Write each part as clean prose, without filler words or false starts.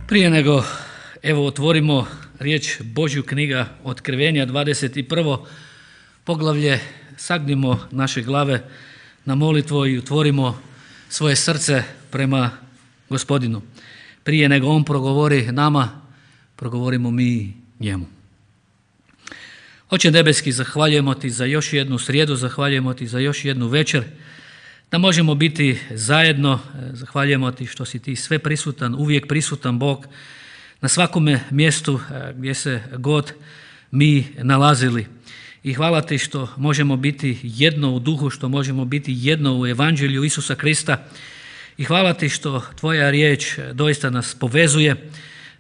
Prije nego otvorimo riječ Božju, knjiga Otkrivenja 21. poglavlje, sagnimo naše glave na molitvu i otvorimo svoje srce prema Gospodinu. Prije nego On progovori nama, progovorimo mi njemu. Oče nebeski, zahvaljujemo Ti za još jednu srijedu, zahvaljujemo Ti za još jednu večer, da možemo biti zajedno. Zahvaljujemo Ti što si Ti sve prisutan, uvijek prisutan Bog na svakome mjestu gdje se god mi nalazili. I hvala Ti što možemo biti jedno u duhu, što možemo biti jedno u evanđelju Isusa Krista. I hvala Ti što Tvoja riječ doista nas povezuje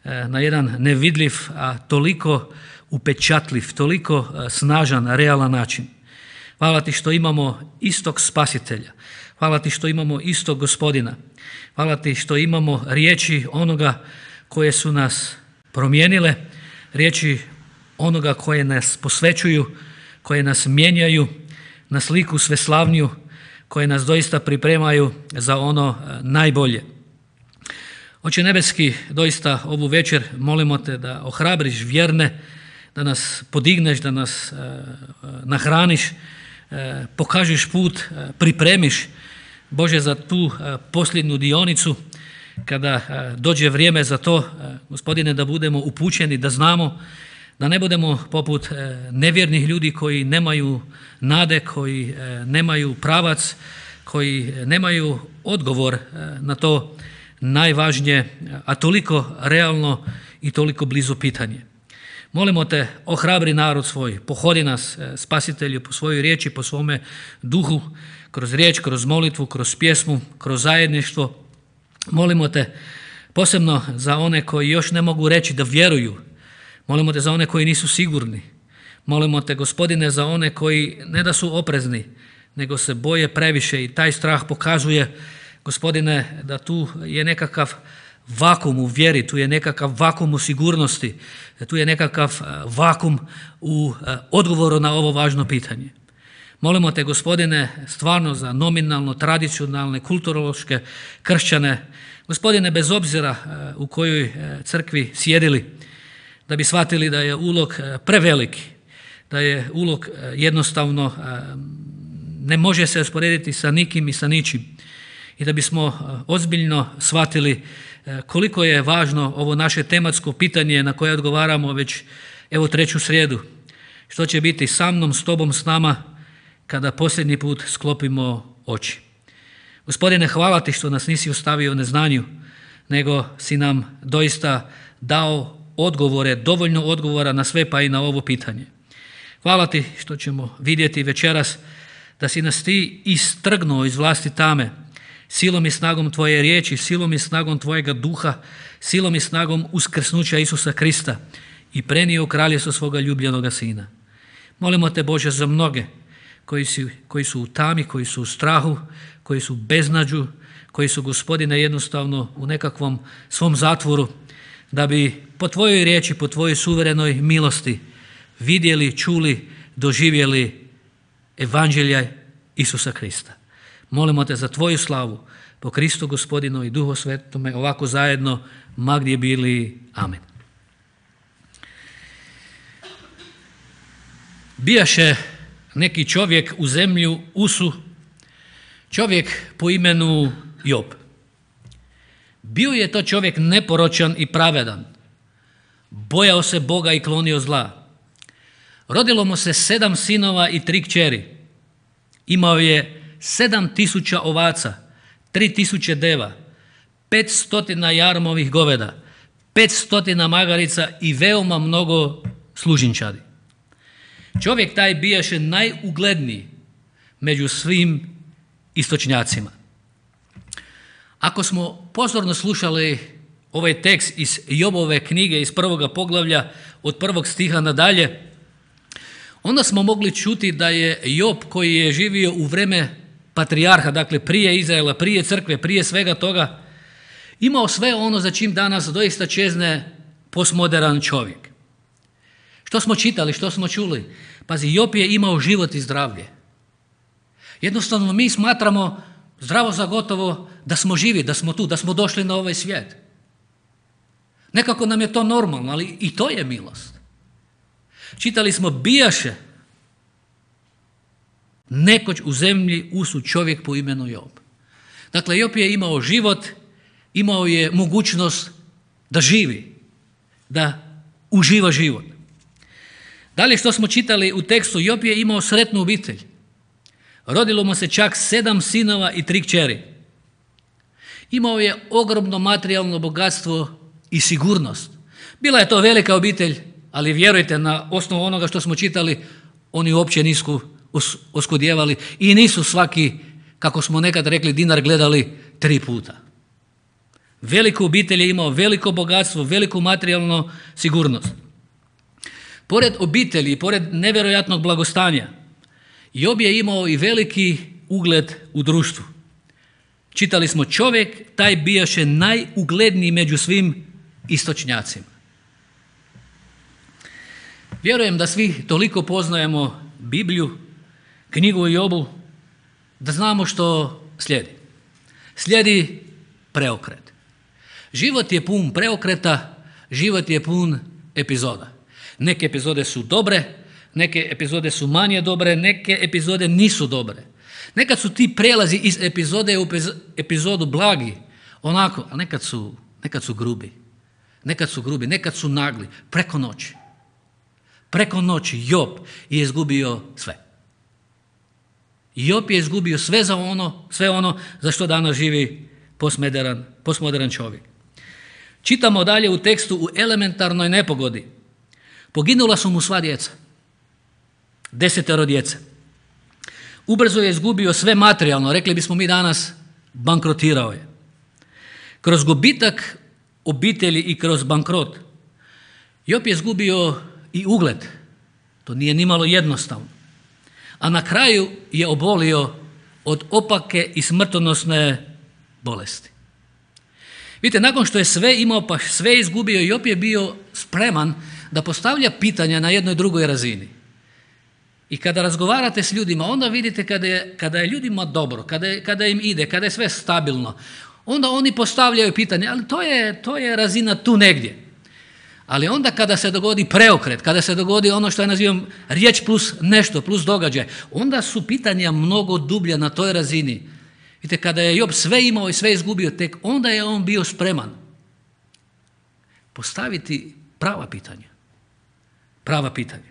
na jedan nevidljiv, a toliko upečatljiv, toliko snažan, realan način. Hvala Ti što imamo istog Spasitelja. Hvala Ti što imamo istog Gospodina. Hvala Ti što imamo riječi onoga koje su nas promijenile, riječi onoga koje nas posvećuju, koje nas mijenjaju na sliku sveslavniju, koje nas doista pripremaju za ono najbolje. Oče nebeski, doista ovu večer molimo Te da ohrabriš vjerne, da nas podigneš, da nas nahraniš, pokažeš put, pripremiš, Bože, za tu posljednju dionicu, kada dođe vrijeme za to, Gospodine, da budemo upućeni, da znamo, da ne budemo poput nevjernih ljudi koji nemaju nade, koji nemaju pravac, koji nemaju odgovor na to najvažnije, a toliko realno i toliko blizu pitanje. Molimo Te, ohrabri narod svoj, pohodi nas, Spasitelju, po svojoj riječi, po svome duhu, kroz riječ, kroz molitvu, kroz pjesmu, kroz zajedništvo. Molimo Te posebno za one koji još ne mogu reći da vjeruju. Molimo Te za one koji nisu sigurni. Molimo Te, Gospodine, za one koji ne da su oprezni, nego se boje previše i taj strah pokazuje, Gospodine, da tu je nekakav vakum u vjeri, tu je nekakav vakum u sigurnosti, tu je nekakav vakum u odgovoru na ovo važno pitanje. Molimo Te, Gospodine, stvarno za nominalno, tradicionalne, kulturološke kršćane, Gospodine, bez obzira u kojoj crkvi sjedili, da bi shvatili da je ulog preveliki, da je ulog jednostavno ne može se usporediti sa nikim i sa ničim. I da bismo ozbiljno shvatili koliko je važno ovo naše tematsko pitanje na koje odgovaramo već treću srijedu. Što će biti sa mnom, s Tobom, s nama kada posljednji put sklopimo oči. Gospodine, hvala Ti što nas nisi ostavio u neznanju, nego si nam doista dao odgovore, dovoljno odgovora na sve, pa i na ovo pitanje. Hvala Ti što ćemo vidjeti večeras da si nas Ti istrgnuo iz vlasti tame, silom i snagom Tvoje riječi, silom i snagom Tvojega duha, silom i snagom uskrsnuća Isusa Krista i prenio u kraljevstvo svoga ljubljenoga Sina. Molimo Te, Bože, za mnoge koji su u tami, koji su u strahu, koji su u beznađu, koji su, Gospodine, jednostavno u nekakvom svom zatvoru, da bi po Tvojoj riječi, po Tvojoj suverenoj milosti vidjeli, čuli, doživjeli evanđelja Isusa Krista. Molimo Te za Tvoju slavu, po Kristu Gospodinu i Duhu Svetome, ovako zajedno, ma gdje bili. Amen. Bijaše neki čovjek u zemlju Usu, čovjek po imenu Job. Bio je to čovjek neporočan i pravedan, bojao se Boga i klonio zla. Rodilo mu se 7 sinova i 3 kćeri. Imao je 7.000 ovaca, 3.000 deva, 500 jarmovih goveda, 500 magarica i veoma mnogo služinčadi. Čovjek taj bijaše najugledniji među svim istočnjacima. Ako smo pozorno slušali ovaj tekst iz Jobove knjige iz 1. poglavlja od 1. stiha nadalje, onda smo mogli čuti da je Job, koji je živio u vreme patrijarha, dakle prije Izraela, prije crkve, prije svega toga, imao sve ono za čim danas doista čezne postmodern čovjek. Što smo čitali, što smo čuli? Pazi, Job je imao život i zdravlje. Jednostavno mi smatramo zdravo za gotovo da smo živi, da smo tu, da smo došli na ovaj svijet. Nekako nam je to normalno, ali i to je milost. Čitali smo, bijaše nekoć u zemlji usud čovjek po imenu Job. Dakle, Job je imao život, imao je mogućnost da živi, da uživa život. Dalje što smo čitali u tekstu, Job je imao sretnu obitelj. Rodilo mu se čak 7 sinova i 3 kćeri. Imao je ogromno materijalno bogatstvo i sigurnost. Bila je to velika obitelj, ali vjerujte, na osnovu onoga što smo čitali, oni uopće nisu oskudjevali i nisu svaki, kako smo nekad rekli, dinar gledali 3 puta. Veliku obitelj je imao, veliko bogatstvo, veliku materijalnu sigurnost. Pored obitelji, pored nevjerojatnog blagostanja, Job je imao i veliki ugled u društvu. Čitali smo, čovjek taj bijaše najugledniji među svim istočnjacima. Vjerujem da svi toliko poznajemo Bibliju, knjigu o Jobu, da znamo što slijedi. Slijedi preokret. Život je pun preokreta, život je pun epizoda. Neke epizode su dobre, neke epizode su manje dobre, neke epizode nisu dobre. Nekad su ti prelazi iz epizode u epizodu blagi, onako, a nekad su grubi. Nekad su nagli, preko noći. Preko noći Job je izgubio sve. Job je izgubio sve ono za što danas živi postmodern čovjek. Čitamo dalje u tekstu, u elementarnoj nepogodi poginula su mu sva djeca. 10 djece. Ubrzo je izgubio sve materijalno, rekli bismo mi danas, bankrotirao je. Kroz gubitak obitelji i kroz bankrot Job je izgubio i ugled. To nije nimalo jednostavno. A na kraju je obolio od opake i smrtonosne bolesti. Vidite, nakon što je sve imao pa sve izgubio, Job je bio spreman da postavlja pitanja na jednoj drugoj razini. I kada razgovarate s ljudima, onda vidite kada je ljudima dobro, kada im ide, kada je sve stabilno, onda oni postavljaju pitanje, ali to je razina tu negdje. Ali onda kada se dogodi preokret, kada se dogodi ono što ja nazivam riječ plus nešto, plus događaj, onda su pitanja mnogo dublja na toj razini. Vidite, kada je Job sve imao i sve izgubio, tek onda je on bio spreman postaviti prava pitanja. Prava pitanja.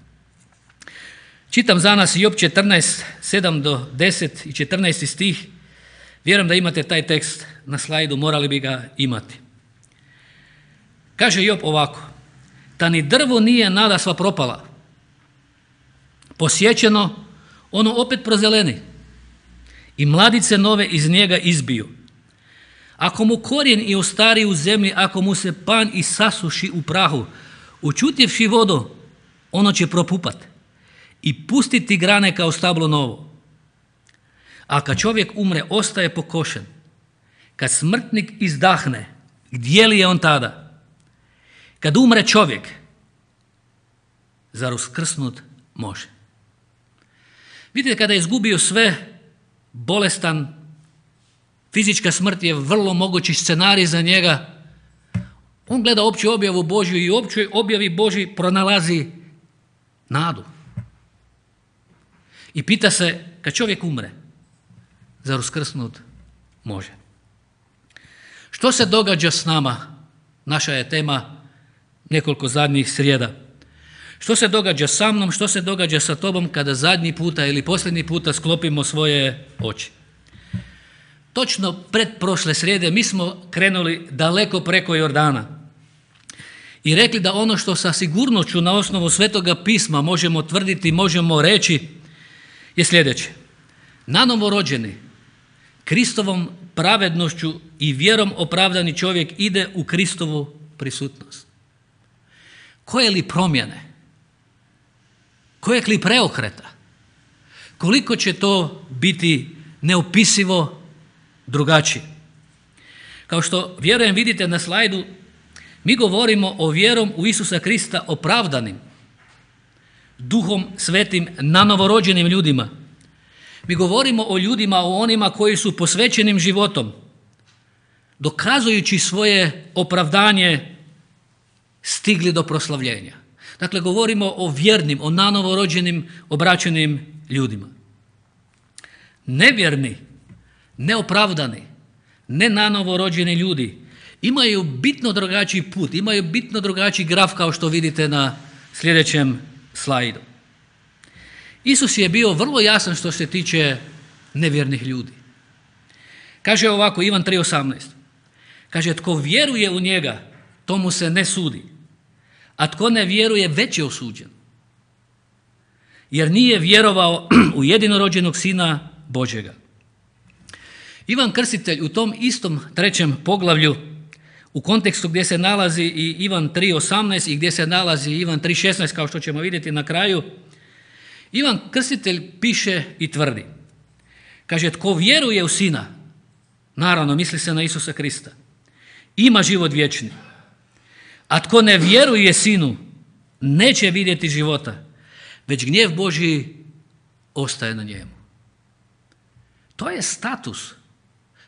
Čitam za nas Job 14, 7 do 10 i 14 stih. Vjerujem da imate taj tekst na slajdu, morali bi ga imati. Kaže Job ovako: ta ni drvo nije nadasva propala. Posjećeno, ono opet prozeleni i mladice nove iz njega izbiju. Ako mu korijen i ostari u zemlji, ako mu se pan i sasuši u prahu, učutjevši vodu, ono će propupat i pustiti grane kao stablo novo. A kad čovjek umre, ostaje pokošen. Kad smrtnik izdahne, gdje li je on tada? Kad umre čovjek, zar uskrsnut može? Vidite, kada je izgubio sve, bolestan, fizička smrt je vrlo mogući scenarij za njega. On gleda opću objavu Božju i u općoj objavi Božji pronalazi nadu. I pita se, kad čovjek umre, zar uskrsnut može? Što se događa s nama? Naša je tema nekoliko zadnjih srijeda. Što se događa sa mnom, što se događa sa tobom kada zadnji puta ili posljednji puta sklopimo svoje oči? Točno pred prošle srijede mi smo krenuli daleko preko Jordana i rekli da ono što sa sigurnošću na osnovu Svetoga pisma možemo tvrditi, možemo reći je sljedeće. Nanovo rođeni, Kristovom pravednošću i vjerom opravdani čovjek ide u Kristovu prisutnost. Koje li promjene? Kojeg li preokreta? Koliko će to biti neopisivo drugačije? Kao što vjerujem vidite na slajdu, mi govorimo o vjerom u Isusa Krista opravdanim, Duhom Svetim nanovorođenim ljudima. Mi govorimo o ljudima, o onima koji su posvećenim životom, dokazujući svoje opravdanje stigli do proslavljenja. Dakle, govorimo o vjernim, o nanovo rođenim, obraćenim ljudima. Nevjerni, neopravdani, ne nanovo rođeni ljudi imaju bitno drugačiji put, imaju bitno drugačiji graf kao što vidite na sljedećem slajdu. Isus je bio vrlo jasan što se tiče nevjernih ljudi. Kaže ovako, Ivan 3:18. Kaže, tko vjeruje u njega, tomu se ne sudi, a tko ne vjeruje već je osuđen. Jer nije vjerovao u jedinorođenog Sina Božjega. Ivan Krstitelj u tom istom 3. poglavlju, u kontekstu gdje se nalazi i Ivan 3:18 i gdje se nalazi Ivan 3:16, kao što ćemo vidjeti na kraju, Ivan Krstitelj piše i tvrdi. Kaže, tko vjeruje u Sina, naravno misli se na Isusa Krista, ima život vječni. A tko ne vjeruje Sinu, neće vidjeti života, već gnjev Božji ostaje na njemu. To je status,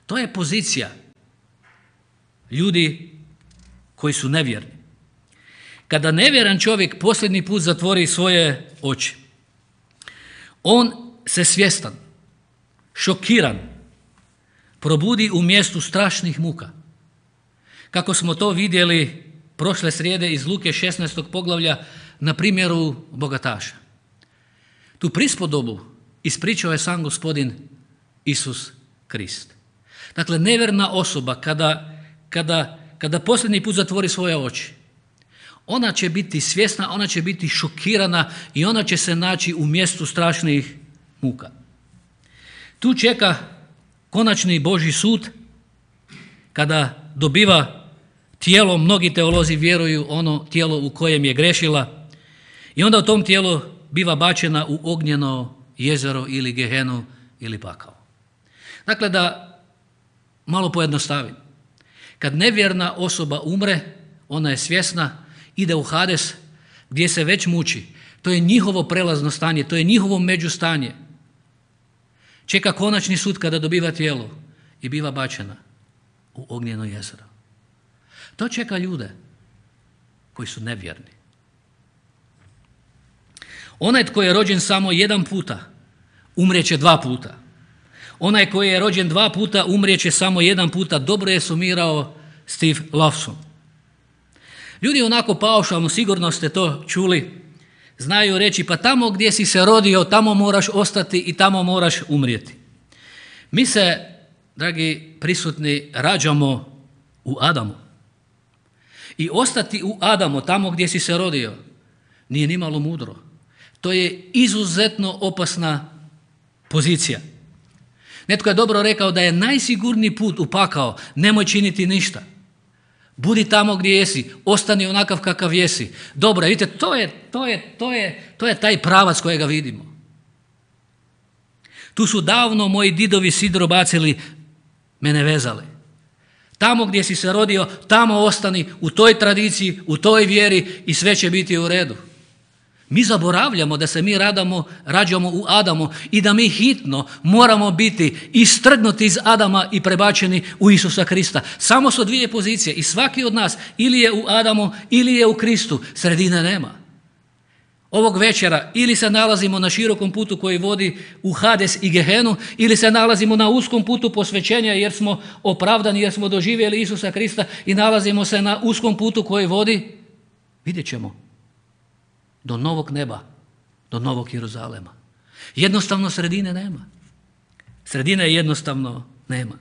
to je pozicija ljudi koji su nevjerni. Kada nevjeran čovjek posljednji put zatvori svoje oči, on se svjestan, šokiran, probudi u mjestu strašnih muka. Kako smo to vidjeli prošle srijede iz Luke 16. poglavlja na primjeru bogataša. Tu prispodobu ispričao je sam Gospodin Isus Krist. Dakle, nevjerna osoba kada posljednji put zatvori svoje oči, ona će biti svjesna, ona će biti šokirana i ona će se naći u mjestu strašnih muka. Tu čeka konačni Božji sud kada dobiva tijelo, mnogi teolozi vjeruju ono tijelo u kojem je grešila, i onda u tom tijelu biva bačena u ognjeno jezero ili gehenu ili pakao. Dakle, da malo pojednostavim. Kad nevjerna osoba umre, ona je svjesna, ide u Hades gdje se već muči. To je njihovo prelazno stanje, to je njihovo međustanje. Čeka konačni sud kada dobiva tijelo i biva bačena u ognjeno jezero. To čeka ljude koji su nevjerni. Onaj tko je rođen samo jedan puta, umrijeće 2 puta. Onaj koji je rođen 2 puta, umrijeće samo 1 puta. Dobro je sumirao Steve Lawson. Ljudi onako paušalno, sigurno ste to čuli, znaju reći, pa tamo gdje si se rodio, tamo moraš ostati i tamo moraš umrijeti. Mi se, dragi prisutni, rađamo u Adamu. I ostati u Adamu, tamo gdje si se rodio, nije nimalo mudro. To je izuzetno opasna pozicija. Netko je dobro rekao da je najsigurniji put u pakao, nemoj činiti ništa. Budi tamo gdje jesi, ostani onakav kakav jesi. Dobro, vidite, to je taj pravac kojega vidimo. Tu su davno moji didovi sidro bacili, mene vezali. Tamo gdje si se rodio, tamo ostani, u toj tradiciji, u toj vjeri i sve će biti u redu. Mi zaboravljamo da se mi rađamo u Adamu i da mi hitno moramo biti istrgnuti iz Adama i prebačeni u Isusa Krista. Samo su 2 pozicije i svaki od nas ili je u Adamu ili je u Kristu, sredine nema. Ovog večera ili se nalazimo na širokom putu koji vodi u Hades i Gehenu, ili se nalazimo na uskom putu posvećenja jer smo opravdani, jer smo doživjeli Isusa Krista, i nalazimo se na uskom putu koji vodi, vidjet ćemo, do novog neba, do novog Jeruzalema. Jednostavno sredine nema. Sredine jednostavno nema.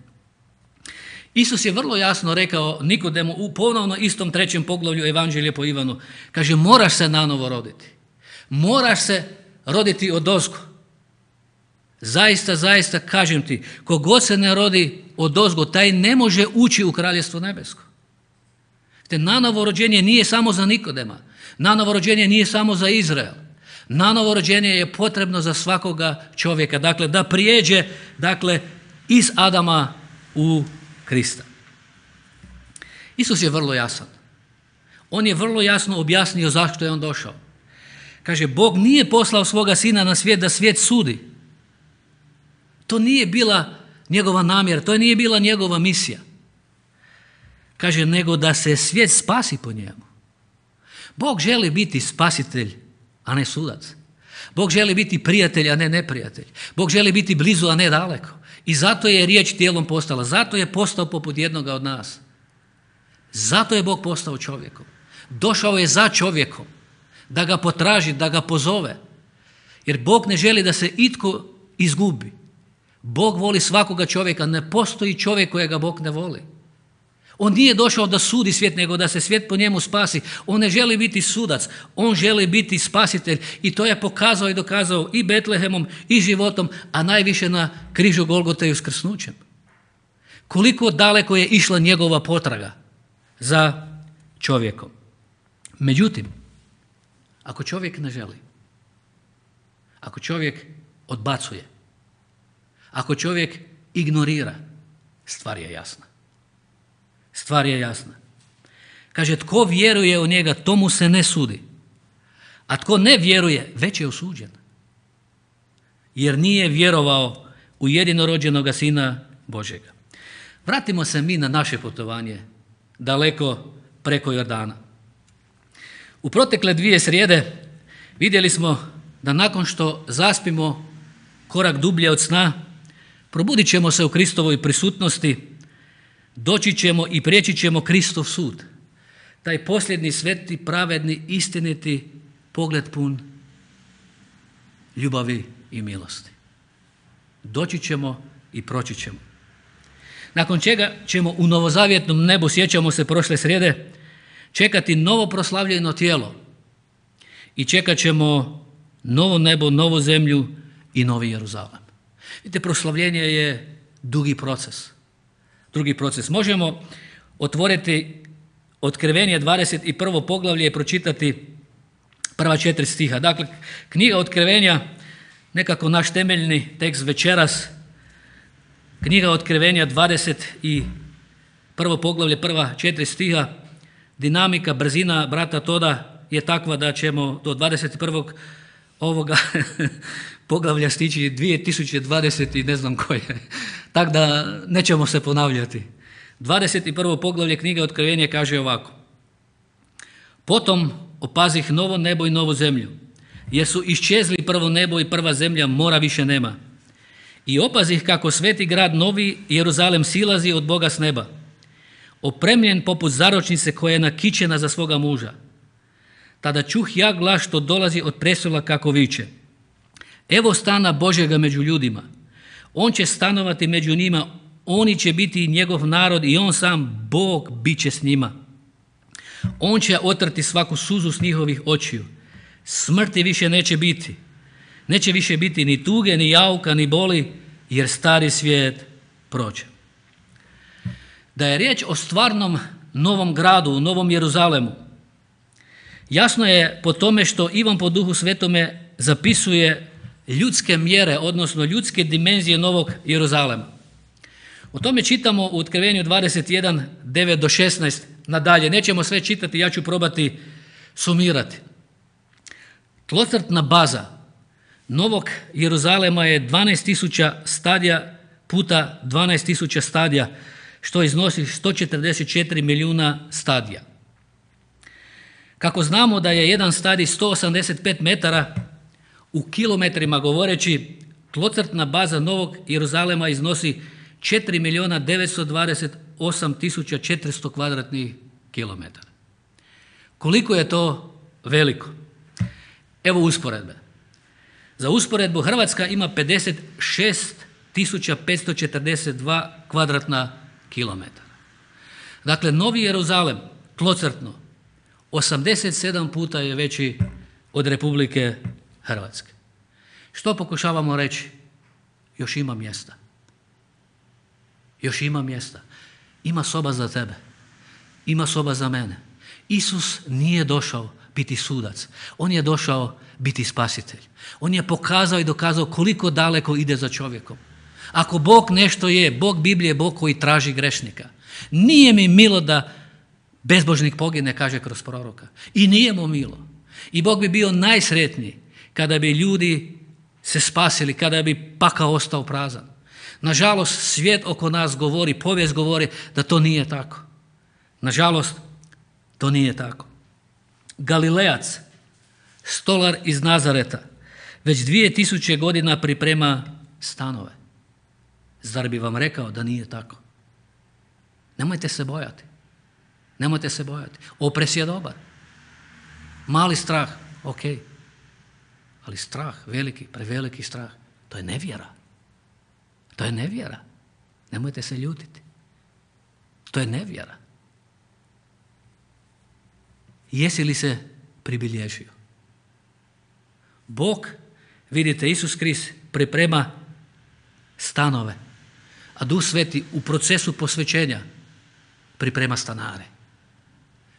Isus je vrlo jasno rekao Nikodemu u ponovno istom 3. poglavlju Evanđelja po Ivanu. Kaže, moraš se nanovo roditi. Moraš se roditi odozgo. Zaista, zaista kažem ti, kogod se ne rodi odozgo, taj ne može ući u Kraljevstvo nebesko. Te nanovo rođenje nije samo za Nikodema. Nanovo rođenje nije samo za Izrael. Nanovo rođenje je potrebno za svakoga čovjeka. Dakle, da prijeđe iz Adama u Krista. Isus je vrlo jasan. On je vrlo jasno objasnio zašto je on došao. Kaže, Bog nije poslao svoga Sina na svijet da svijet sudi. To nije bila njegova namjera, to nije bila njegova misija. Kaže, nego da se svijet spasi po njemu. Bog želi biti spasitelj, a ne sudac. Bog želi biti prijatelj, a ne neprijatelj. Bog želi biti blizu, a ne daleko. I zato je riječ tijelom postala. Zato je postao poput jednoga od nas. Zato je Bog postao čovjekom. Došao je za čovjekom. Da ga potraži, da ga pozove. Jer Bog ne želi da se itko izgubi. Bog voli svakoga čovjeka. Ne postoji čovjek kojega Bog ne voli. On nije došao da sudi svijet, nego da se svijet po njemu spasi. On ne želi biti sudac, on želi biti spasitelj. I to je pokazao i dokazao i Betlehemom i životom, a najviše na križu Golgote i uskrsnućem. Koliko daleko je išla njegova potraga za čovjekom. Međutim, ako čovjek ne želi, ako čovjek odbacuje, ako čovjek ignorira, stvar je jasna. Stvar je jasna. Kaže, tko vjeruje u njega, tomu se ne sudi. A tko ne vjeruje, već je osuđen. Jer nije vjerovao u jedinorođenoga Sina Božjega. Vratimo se mi na naše putovanje, daleko preko Jordana. U protekle 2 srijede vidjeli smo da nakon što zaspimo korak dublje od sna, probudit ćemo se u Kristovoj prisutnosti, doći ćemo i prijeći ćemo Kristov sud. Taj posljednji sveti, pravedni, istiniti pogled pun ljubavi i milosti. Doći ćemo i proći ćemo. Nakon čega ćemo u novozavjetnom nebu, sjećamo se prošle srijede, čekati novo proslavljeno tijelo i čekat ćemo novo nebo, novu zemlju i novi Jeruzalem. Vidite, proslavljenje je dugi proces. Drugi proces. Možemo otvoriti Otkrivenje 21. poglavlje i pročitati prva 4 stiha. Dakle, knjiga Otkrivenja, nekako naš temeljni tekst večeras, knjiga Otkrivenja 21. poglavlje, prva 4 stiha, dinamika, brzina brata Toda je takva da ćemo do 21. ovoga poglavlja stići 2020 i ne znam koje. Tako da nećemo se ponavljati. 21. poglavlje knjige Otkrivenja kaže ovako. Potom opazih novo nebo i novu zemlju, jer su iščezli prvo nebo i prva zemlja, mora više nema. I opazih kako sveti grad novi Jeruzalem silazi od Boga s neba, opremljen poput zaročnice koja je nakićena za svoga muža. Tada čuh ja glas što dolazi od prestola kako viče. Evo stana Božjega među ljudima. On će stanovati među njima, oni će biti njegov narod i on sam, Bog, bit će s njima. On će otrti svaku suzu s njihovih očiju. Smrti više neće biti. Neće više biti ni tuge, ni jauka, ni boli, jer stari svijet prođe. Da je riječ o stvarnom novom gradu, u Novom Jeruzalemu, jasno je po tome što Ivan po Duhu Svetome zapisuje ljudske mjere, odnosno ljudske dimenzije Novog Jeruzalema. O tome čitamo u Otkrivenju 21, 9 do 16 nadalje. Nećemo sve čitati, ja ću probati sumirati. Tlocrtna baza Novog Jeruzalema je 12.000 stadija puta 12.000 stadija, što iznosi 144 milijuna stadija. Kako znamo da je jedan stadij 185 metara, u kilometrima govoreći, tlocrtna baza Novog Jeruzalema iznosi 4.928.400 kvadratnih kilometara. Koliko je to veliko? Evo usporedbe. Za usporedbu Hrvatska ima 56.542 kvadratna kilometara. Dakle, Novi Jeruzalem, tlocrtno, 87 puta je veći od Republike Hrvatske. Što pokušavamo reći? Još ima mjesta. Još ima mjesta. Ima soba za tebe. Ima soba za mene. Isus nije došao biti sudac. On je došao biti spasitelj. On je pokazao i dokazao koliko daleko ide za čovjekom. Ako Bog nešto je, Bog Biblije je Bog koji traži grešnika. Nije mi milo da bezbožnik pogine, kaže kroz proroka. I nije mu milo. I Bog bi bio najsretniji kada bi ljudi se spasili, kada bi pakao ostao prazan. Nažalost, svijet oko nas govori, povijest govori da to nije tako. Nažalost, to nije tako. Galilejac, stolar iz Nazareta, već 2000 godina priprema stanove. Zar bi vam rekao da nije tako? Nemojte se bojati. Nemojte se bojati. Opres je dobar. Mali strah, ok. Ali strah, veliki, preveliki strah, to je nevjera. To je nevjera. Nemojte se ljutiti. To je nevjera. Jesi li se pribilježio? Bog, vidite, Isus Krist priprema stanove, a Duh Sveti u procesu posvećenja priprema stanare.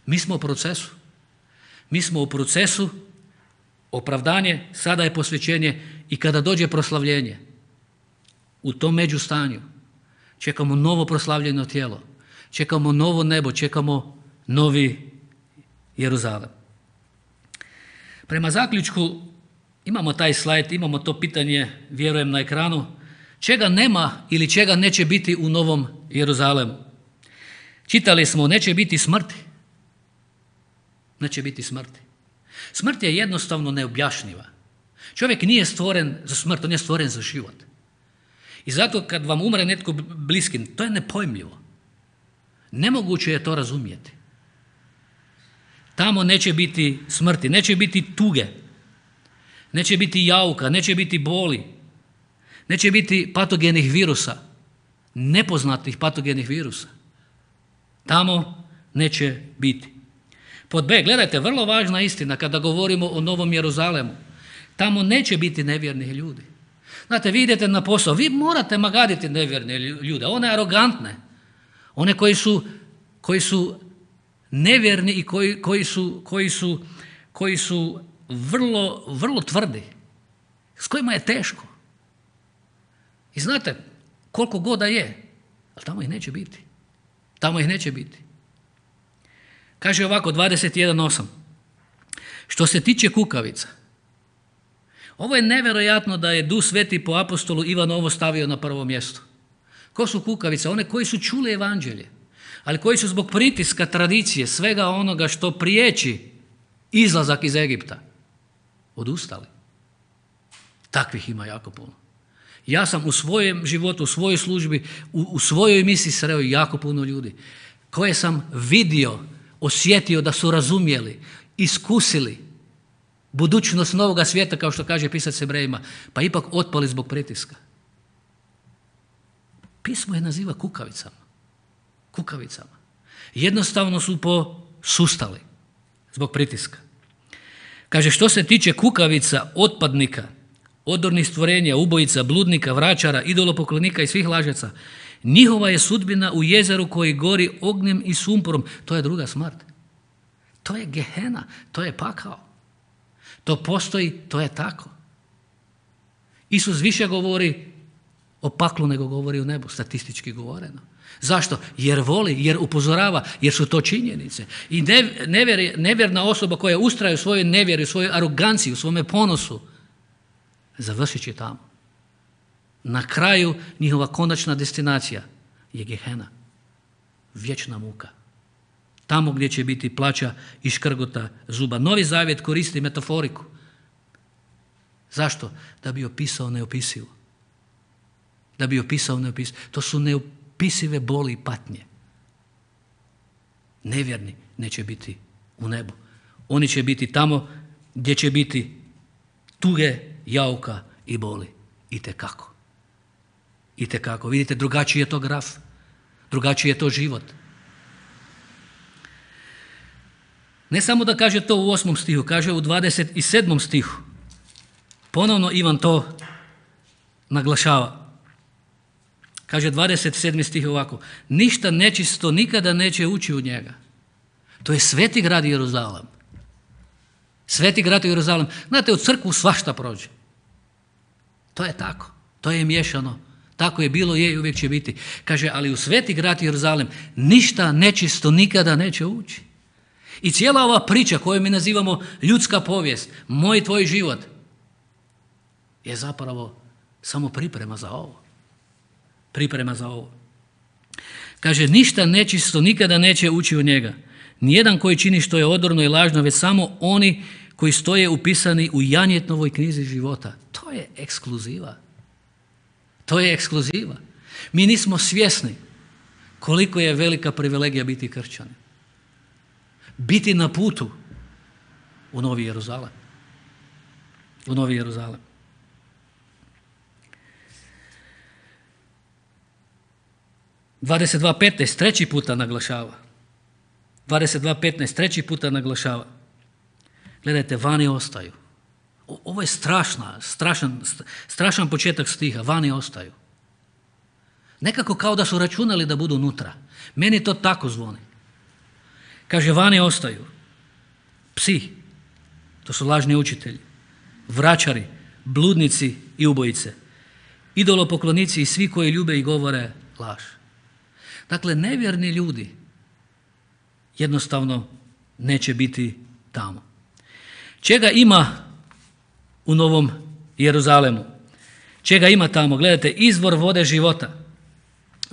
Mi smo u procesu. Mi smo u procesu opravdanje, sada je posvećenje i kada dođe proslavljenje, u tom međustanju čekamo novo proslavljeno tijelo, čekamo novo nebo, čekamo novi Jeruzalem. Prema zaključku imamo taj slajd, imamo to pitanje, vjerujem, na ekranu. Čega nema ili čega neće biti u novom Jeruzalemu? Čitali smo, neće biti smrti. Neće biti smrti. Smrt je jednostavno neobjašnjiva. Čovjek nije stvoren za smrt, on je stvoren za život. I zato kad vam umre netko bliskin, to je nepojmljivo. Nemoguće je to razumjeti. Tamo neće biti smrti, neće biti tuge, neće biti jauka, neće biti boli, neće biti patogenih virusa, nepoznatih patogenih virusa. Tamo neće biti. Pod B, gledajte, vrlo važna istina kada govorimo o Novom Jeruzalemu. Tamo neće biti nevjernih ljudi. Znate, vi idete na posao, vi morate magaditi nevjerne ljude, one arogantne, one koji su nevjerni i koji su vrlo, vrlo tvrdi, s kojima je teško. I znate, koliko god da je, ali tamo ih neće biti. Tamo ih neće biti. Kaže ovako, 21.8. Što se tiče kukavica, ovo je nevjerojatno da je Duh Sveti po apostolu Ivanu ovo stavio na prvo mjesto. Ko su kukavice? One koji su čuli evanđelje, ali koji su zbog pritiska, tradicije, svega onoga što priječi izlazak iz Egipta, odustali. Takvih ima jako puno. Ja sam u svojem životu, u svojoj službi, u svojoj misiji sreo jako puno ljudi koje sam vidio, osjetio da su razumjeli, iskusili budućnost novoga svijeta, kao što kaže pisac Hebrejima, pa ipak otpali zbog pritiska. Pismo je naziva kukavicama. Kukavicama. Jednostavno su posustali zbog pritiska. Kaže, što se tiče kukavica, otpadnika, odornih stvorenja, ubojica, bludnika, vračara, idolopoklonika i svih lažaca, njihova je sudbina u jezeru koji gori ognjem i sumporom. To je druga smrt. To je Gehena, to je pakao. To postoji, to je tako. Isus više govori o paklu nego govori o nebu, statistički govoreno. Zašto? Jer voli, jer upozorava, jer su to činjenice. I nevjerna osoba koja ustraje u svojoj nevjeri, u svojoj aroganciji, u svome ponosu, završit će tamo. Na kraju njihova konačna destinacija je Gehena, vječna muka. Tamo gdje će biti plača i škrgota zuba. Novi Zavjet koristi metaforiku. Zašto? Da bi opisao neopisivo. Da bi opisao neopisivo. To su neopisive boli i patnje. Nevjerni neće biti u nebu. Oni će biti tamo gdje će biti tuge, jauka i boli. Itekako. Itekako. Vidite, drugačiji je to graf. Drugačiji je to život. Ne samo da kaže to u 8. stihu, kaže u 27. stihu. Ponovno Ivan to naglašava. Kaže 27. stih ovako. Ništa nečisto nikada neće ući u njega. To je sveti grad Jeruzalem. Sveti grad Jeruzalem. Znate, u crkvu svašta prođe. To je tako. To je miješano. Tako je bilo, je i uvijek će biti. Kaže, ali u sveti grad Jeruzalem ništa nečisto nikada neće ući. I cijela ova priča koju mi nazivamo ljudska povijest, moj i tvoj život, je zapravo samo priprema za ovo. Priprema za ovo. Kaže, ništa nečisto nikada neće ući u njega. Nijedan koji čini što je odorno i lažno, već samo oni koji stoje upisani u Janjetnovoj knjizi života. To je ekskluziva. To je ekskluziva. Mi nismo svjesni koliko je velika privilegija biti kršćani. Biti na putu u Novi Jeruzalem. U Novi Jeruzalem. (22.15) treći puta naglašava. 22.15 treći puta naglašava. Gledajte, vani ostaju. Ovo je strašan početak stiha. Vani ostaju. Nekako kao da su računali da budu unutra. Meni to tako zvoni. Kaže, vani ostaju psi, to su lažni učitelji, vračari, bludnici i ubojice, idolopoklonici i svi koji ljube i govore laž. Dakle, nevjerni ljudi jednostavno neće biti tamo. Čega ima u Novom Jeruzalemu? Čega ima tamo? Gledajte, izvor vode života.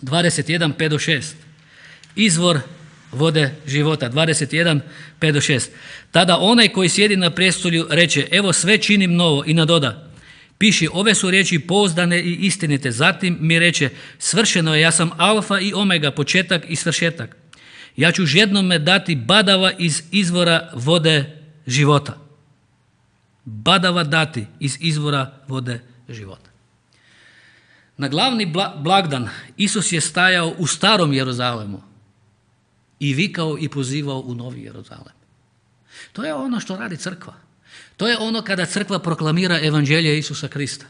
21.5-6. Izvor vode života. 21.5-6. Tada onaj koji sjedi na prijestolju reče, evo sve činim novo, i nadoda, piši, ove su riječi pouzdane i istinite. Zatim mi reče, svršeno je, ja sam alfa i omega, početak i svršetak. Ja ću žednome dati badava iz izvora vode života. Badava dati iz izvora vode života. Na glavni blagdan Isus je stajao u starom Jeruzalemu i vikao i pozivao u Novi Jeruzalem. To je ono što radi crkva. To je ono kada crkva proklamira evanđelje Isusa Krista.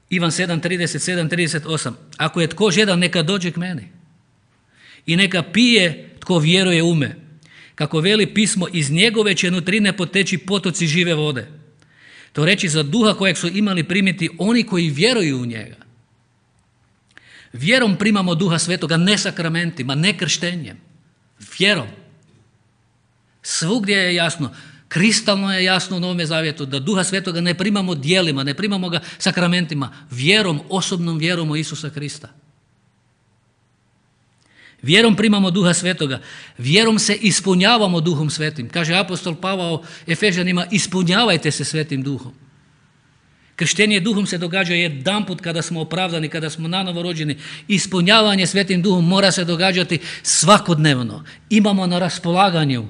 Ivan 7.37-38. Ako je tko žedan, neka dođe k meni i neka pije tko vjeruje u me. Kako veli pismo, iz njegove će nutrine poteći potoci žive vode. To reći za duha kojeg su imali primiti oni koji vjeruju u njega. Vjerom primamo Duha Svetoga, ne sakramentima, ne krštenjem. Vjerom. Svugdje je jasno, kristalno je jasno u Novome Zavjetu da Duha Svetoga ne primamo djelima, ne primamo ga sakramentima, vjerom, osobnom vjerom u Isusa Krista. Vjerom primamo Duha Svetoga, vjerom se ispunjavamo Duhom Svetim. Kaže apostol Pavao Efežanima, ispunjavajte se Svetim Duhom. Krštenje Duhom se događa jedanput kada smo opravdani, kada smo nanovo rođeni. Ispunjavanje Svetim Duhom mora se događati svakodnevno. Imamo na raspolaganju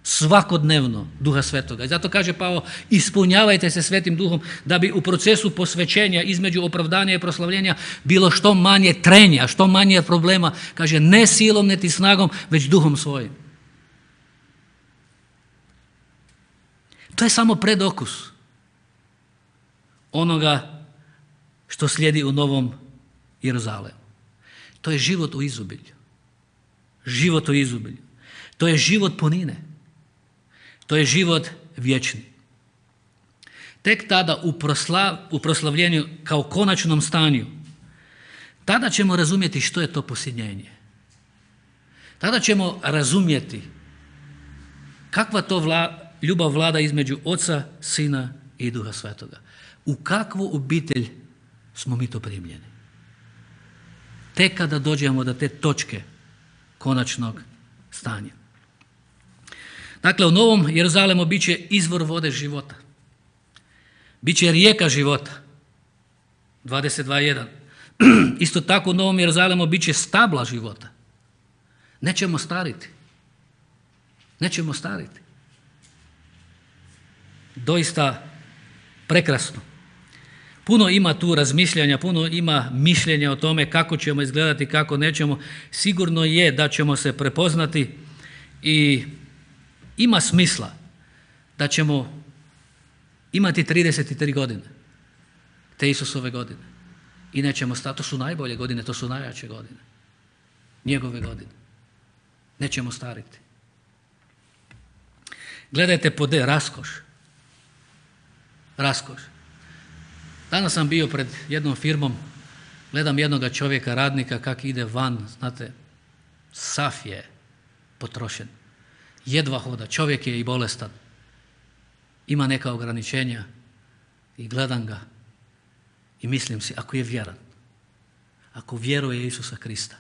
svakodnevno Duha Svetoga. I zato kaže Pavao, ispunjavajte se Svetim Duhom da bi u procesu posvećenja između opravdanja i proslavljenja bilo što manje trenja, što manje problema. Kaže, ne silom niti snagom, već Duhom svojim. To je samo predokus onoga što slijedi u Novom Jeruzalemu. To je život u izobilju. Život u izobilju. To je život punine. To je život vječni. Tek tada u proslavljenju kao konačnom stanju, tada ćemo razumjeti što je to posljednjenje. Tada ćemo razumjeti kakva to ljubav vlada između Oca, Sina i Duha Svetoga. U kakvu obitelj smo mi to primljeni. Tek kada dođemo do te točke konačnog stanja. Dakle, u Novom Jeruzalemu bit će izvor vode života. Biće rijeka života. 22.1. Isto tako u Novom Jeruzalemu bit će stabla života. Nećemo stariti. Nećemo stariti. Doista prekrasno. Puno ima tu razmišljanja, puno ima mišljenja o tome kako ćemo izgledati, kako nećemo. Sigurno je da ćemo se prepoznati i ima smisla da ćemo imati 33 godine, te Isusove godine. I nećemo stati, to su najbolje godine, to su najjače godine. Njegove godine. Nećemo stariti. Gledajte pod raskoš. Raskoš. Danas sam bio pred jednom firmom, gledam jednoga čovjeka, radnika, kak ide van, znate, sav je potrošen. Jedva hoda, čovjek je i bolestan. Ima neka ograničenja i gledam ga i mislim si, ako je vjeran, ako vjeruje Isusa Krista,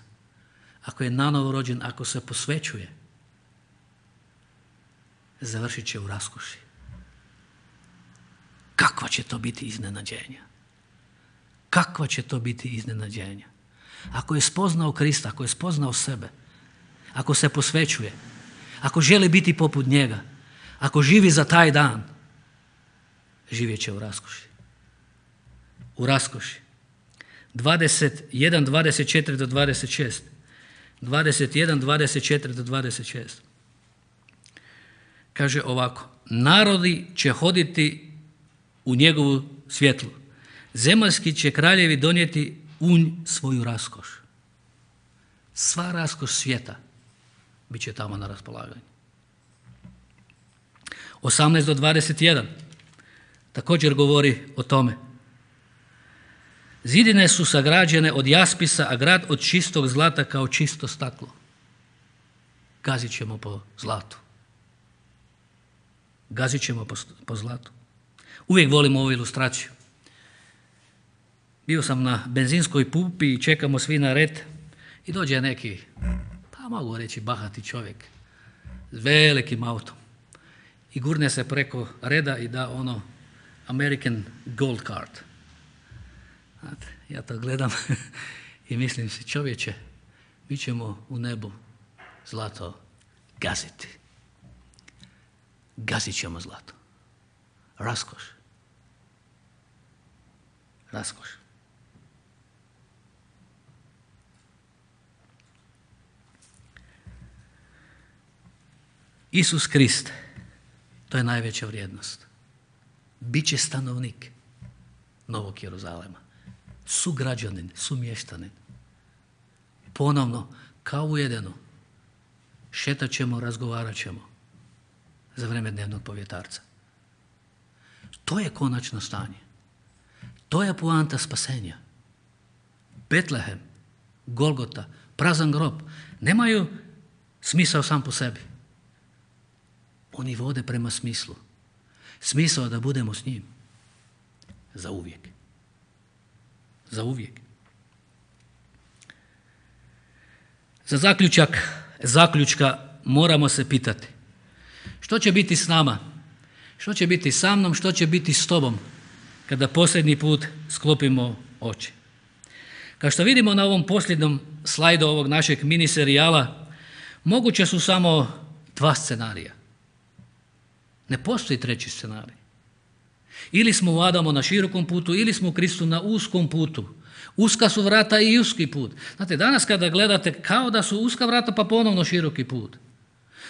ako je nanovo rođen, ako se posvećuje, završit će u raskoši. Kakva će to biti iznenađenja? Kakva će to biti iznenađenja? Ako je spoznao Krista, ako je spoznao sebe, ako se posvećuje, ako želi biti poput njega, ako živi za taj dan, živjet će u raskoši. U raskoši. 21, 24 do 26. 21, 24 do 26. Kaže ovako: narodi će hoditi u njegovu svjetlu. Zemaljski će kraljevi donijeti u svoju raskoš. Sva raskoš svijeta bit će tamo na raspolaganju. 18 do 21. Također govori o tome. Zidine su sagrađene od jaspisa, a grad od čistog zlata kao čisto staklo. Gazit ćemo po zlatu. Gazit ćemo po zlatu. Uvijek volim ovu ilustraciju. Bio sam na benzinskoj pumpi i čekamo svi na red i dođe neki, pa mogu reći bahati čovjek, s velikim autom. I gurne se preko reda i da ono American Gold Card. Znate, ja to gledam i mislim si, čovječe, mi ćemo u nebu zlato gaziti. Gazit ćemo zlato. Raskoš. Raskoš. Isus Krist, to je najveća vrijednost. Biće stanovnik Novog Jeruzalema. Sugrađanin, sumještanin. Ponovno, kao u Edenu, šetat ćemo, razgovarat ćemo za vrijeme dnevnog povjetarca. To je konačno stanje. To je poanta spasenja. Betlehem, Golgota, prazan grob nemaju smisao sam po sebi. Oni vode prema smislu. Smisao da budemo s njim. Za uvijek. Za uvijek. Za zaključka moramo se pitati. Što će biti s nama? Što će biti sa mnom? Što će biti s tobom? Kada posljednji put sklopimo oči. Kao što vidimo na ovom posljednjem slajdu ovog našeg mini serijala, moguće su samo dva scenarija. Ne postoji treći scenarij. Ili smo u Adamu na širokom putu, ili smo u Kristu na uskom putu. Uska su vrata i uski put. Znate, danas kada gledate, kao da su uska vrata pa ponovno široki put.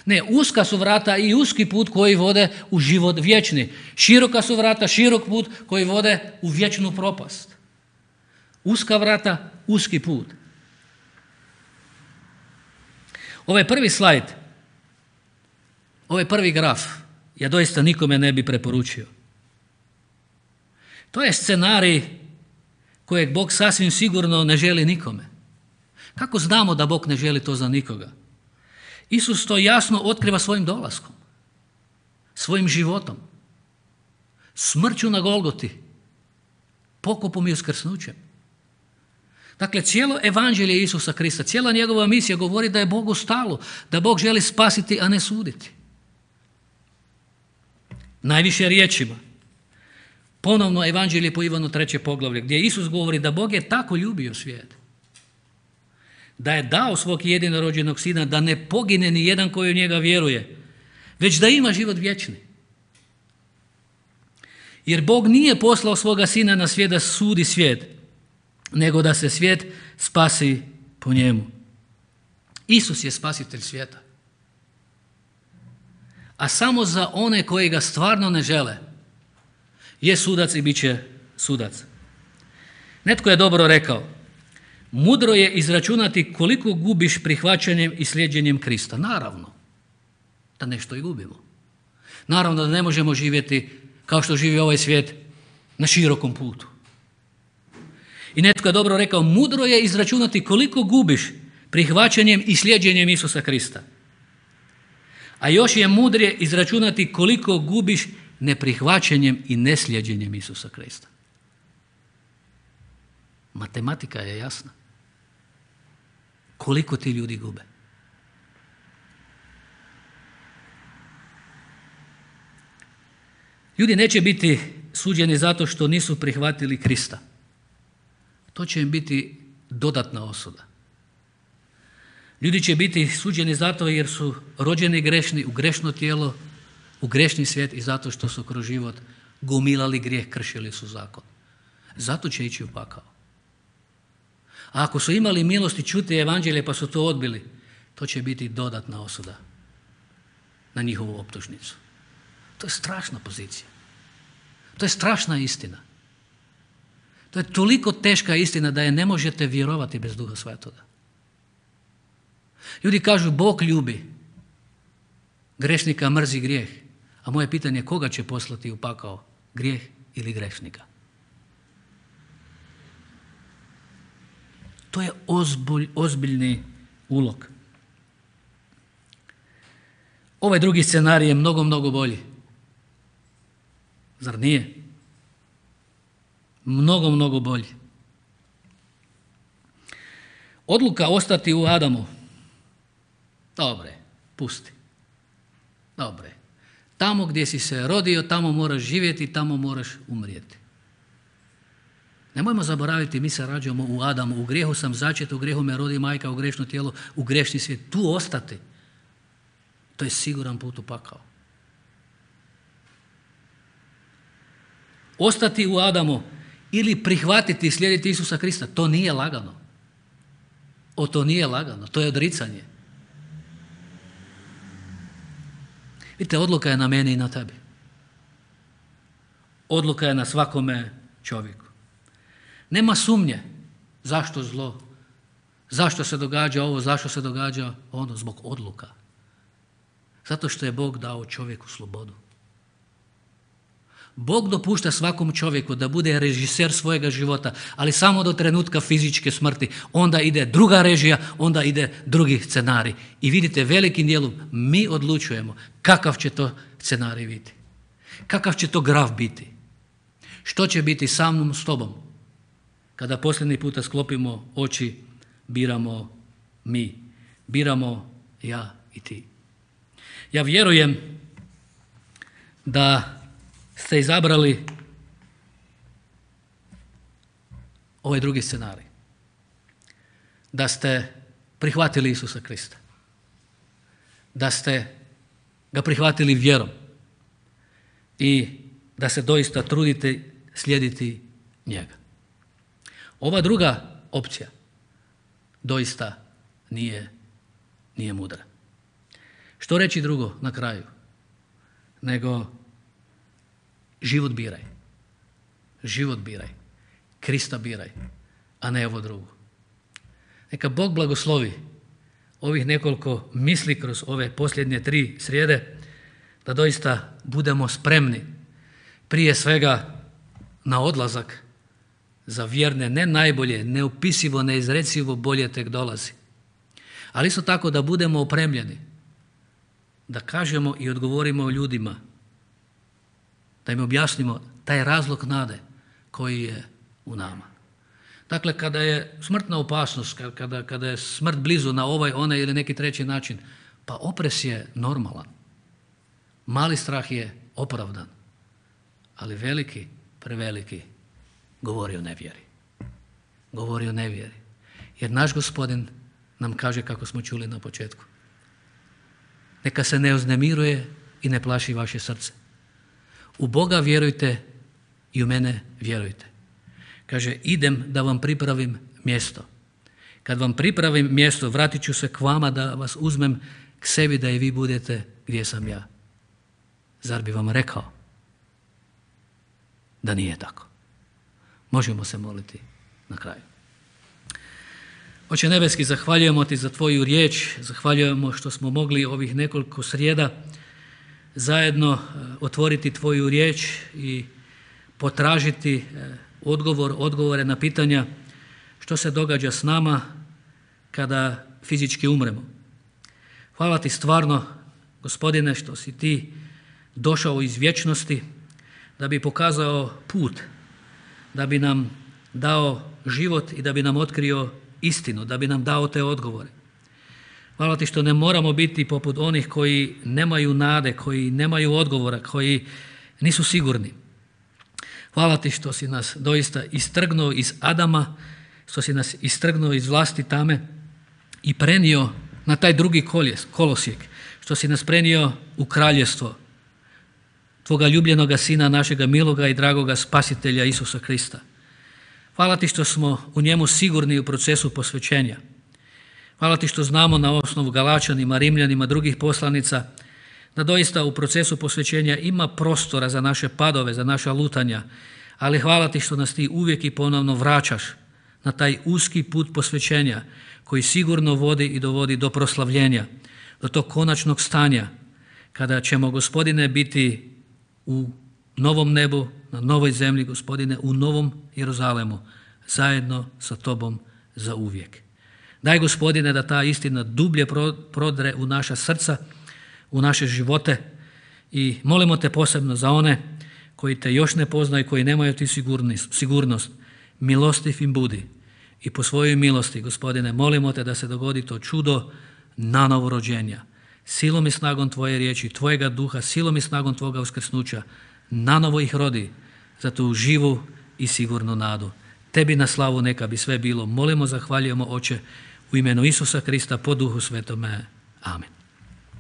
Ne, uska su vrata i uski put koji vode u život vječni. Široka su vrata, širok put koji vode u vječnu propast. Uska vrata, uski put. Ovaj prvi slajd, ovaj prvi graf, ja doista nikome ne bi preporučio. To je scenarij kojeg Bog sasvim sigurno ne želi nikome. Kako znamo da Bog ne želi to za nikoga? Isus to jasno otkriva svojim dolaskom, svojim životom, smrću na Golgoti, pokopom i uskrsnućem. Dakle, cijelo evanđelje Isusa Krista, cijela njegova misija govori da je Bogu stalo, da Bog želi spasiti, a ne suditi. Najviše riječima. Ponovno evanđelje po Ivanu 3. poglavlje, gdje Isus govori da Bog je tako ljubio svijet, da je dao svog jedinorođenog sina, da ne pogine ni jedan koji u njega vjeruje, već da ima život vječni. Jer Bog nije poslao svoga sina na svijet da sudi svijet, nego da se svijet spasi po njemu. Isus je spasitelj svijeta. A samo za one koji ga stvarno ne žele je sudac i bit će sudac. Netko je dobro rekao, mudro je izračunati koliko gubiš prihvaćanjem i slijedjenjem Krista. Naravno da nešto i gubimo. Naravno da ne možemo živjeti kao što živi ovaj svijet na širokom putu. I netko je dobro rekao, mudro je izračunati koliko gubiš prihvaćanjem i slijedjenjem Isusa Krista. A još je mudrije izračunati koliko gubiš neprihvaćanjem i neslijedjenjem Isusa Krista. Matematika je jasna. Koliko ti ljudi gube? Ljudi neće biti suđeni zato što nisu prihvatili Krista. To će im biti dodatna osuda. Ljudi će biti suđeni zato jer su rođeni grešni, u grešno tijelo, u grešni svijet i zato što su kroz život gomilali grijeh, kršili su zakon. Zato će ići u pakao. A ako su imali milosti čuti evanđelje pa su to odbili, to će biti dodatna osuda na njihovu optužnicu. To je strašna pozicija. To je strašna istina. To je toliko teška istina da je ne možete vjerovati bez Duha Svetoga. Ljudi kažu Bog ljubi, grešnika mrzi grijeh. A moje pitanje je koga će poslati u pakao? Grijeh ili grešnika? To je ozbiljni ulog. Ovaj drugi scenarij je mnogo, mnogo bolji. Zar nije? Mnogo, mnogo bolji. Odluka ostati u Adamu. Dobre, pusti. Dobre. Tamo gdje si se rodio, tamo moraš živjeti, tamo moraš umrijeti. Nemojmo zaboraviti, mi se rađamo u Adamu, u grijehu sam začet, u grijehu me rodi majka, u grešno tijelo, u grešni svijet. Tu ostati, to je siguran put u pakao. Ostati u Adamu ili prihvatiti i slijediti Isusa Krista, to nije lagano. To nije lagano, to je odricanje. Vidite, odluka je na meni i na tebi. Odluka je na svakome čovjeku. Nema sumnje zašto zlo, zašto se događa ovo, zašto se događa ono, zbog odluka. Zato što je Bog dao čovjeku slobodu. Bog dopušta svakom čovjeku da bude režiser svojega života, ali samo do trenutka fizičke smrti. Onda ide druga režija, onda ide drugi scenarij. I vidite, velikim dijelom mi odlučujemo kakav će to scenarij biti. Kakav će to graf biti. Što će biti sa mnom, s tobom. Kada posljednji puta sklopimo oči, biramo mi. Biramo ja i ti. Ja vjerujem da ste izabrali ovaj drugi scenarij. Da ste prihvatili Isusa Krista. Da ste ga prihvatili vjerom. I da se doista trudite slijediti njega. Ova druga opcija doista nije mudra. Što reći drugo na kraju? Nego život biraj. Život biraj. Krista biraj, a ne ovo drugo. Neka Bog blagoslovi ovih nekoliko misli kroz ove posljednje 3 srijede, da doista budemo spremni prije svega na odlazak za vjerne, ne najbolje, neopisivo, neizrecivo bolje tek dolazi. Ali isto tako da budemo opremljeni, da kažemo i odgovorimo ljudima, da im objasnimo taj razlog nade koji je u nama. Dakle, kada je smrtna opasnost, kada je smrt blizu na ovaj, onaj ili neki treći način, pa opres je normalan. Mali strah je opravdan, ali veliki, preveliki, govori o nevjeri. Govori o nevjeri. Jer naš Gospodin nam kaže, kako smo čuli na početku, neka se ne uznemiruje i ne plaši vaše srce. U Boga vjerujte i u mene vjerujte. Kaže, idem da vam pripravim mjesto. Kad vam pripravim mjesto, vratit ću se k vama da vas uzmem k sebi da i vi budete gdje sam ja. Zar bi vam rekao da nije tako? Možemo se moliti na kraju. Oče nebeski, zahvaljujemo ti za tvoju riječ, zahvaljujemo što smo mogli ovih nekoliko srijeda zajedno otvoriti tvoju riječ i potražiti odgovore na pitanja što se događa s nama kada fizički umremo. Hvala ti stvarno, Gospodine, što si ti došao iz vječnosti da bi pokazao put, da bi nam dao život i da bi nam otkrio istinu, da bi nam dao te odgovore. Hvala ti što ne moramo biti poput onih koji nemaju nade, koji nemaju odgovora, koji nisu sigurni. Hvala ti što si nas doista istrgnuo iz Adama, što si nas istrgnuo iz vlasti tame i prenio na taj drugi kolosijek, što si nas prenio u kraljevstvo Tvoga ljubljenoga Sina, našega miloga i dragoga Spasitelja Isusa Krista. Hvala ti što smo u njemu sigurni u procesu posvećenja. Hvala ti što znamo na osnovu Galačanima, Rimljanima, drugih poslanica, da doista u procesu posvećenja ima prostora za naše padove, za naša lutanja, ali hvala ti što nas ti uvijek i ponovno vraćaš na taj uski put posvećenja koji sigurno vodi i dovodi do proslavljenja, do tog konačnog stanja kada ćemo, Gospodine, biti u novom nebu, na novoj zemlji, Gospodine, u novom Jeruzalemu, zajedno sa Tobom za uvijek. Daj, Gospodine, da ta istina dublje prodre u naša srca, u naše živote i molimo te posebno za one koji te još ne poznaju, koji nemaju ti sigurnost. Milostiv im budi i po svojoj milosti, Gospodine, molimo te da se dogodi to čudo nanovo rođenja. Silom i snagom Tvoje riječi, Tvojega duha, silom i snagom Tvoga uskrsnuća, nanovo ih rodi za tu živu i sigurnu nadu. Tebi na slavu neka bi sve bilo. Molimo, zahvaljujemo, Oče, u imenu Isusa Krista, po Duhu Svetome. Amen.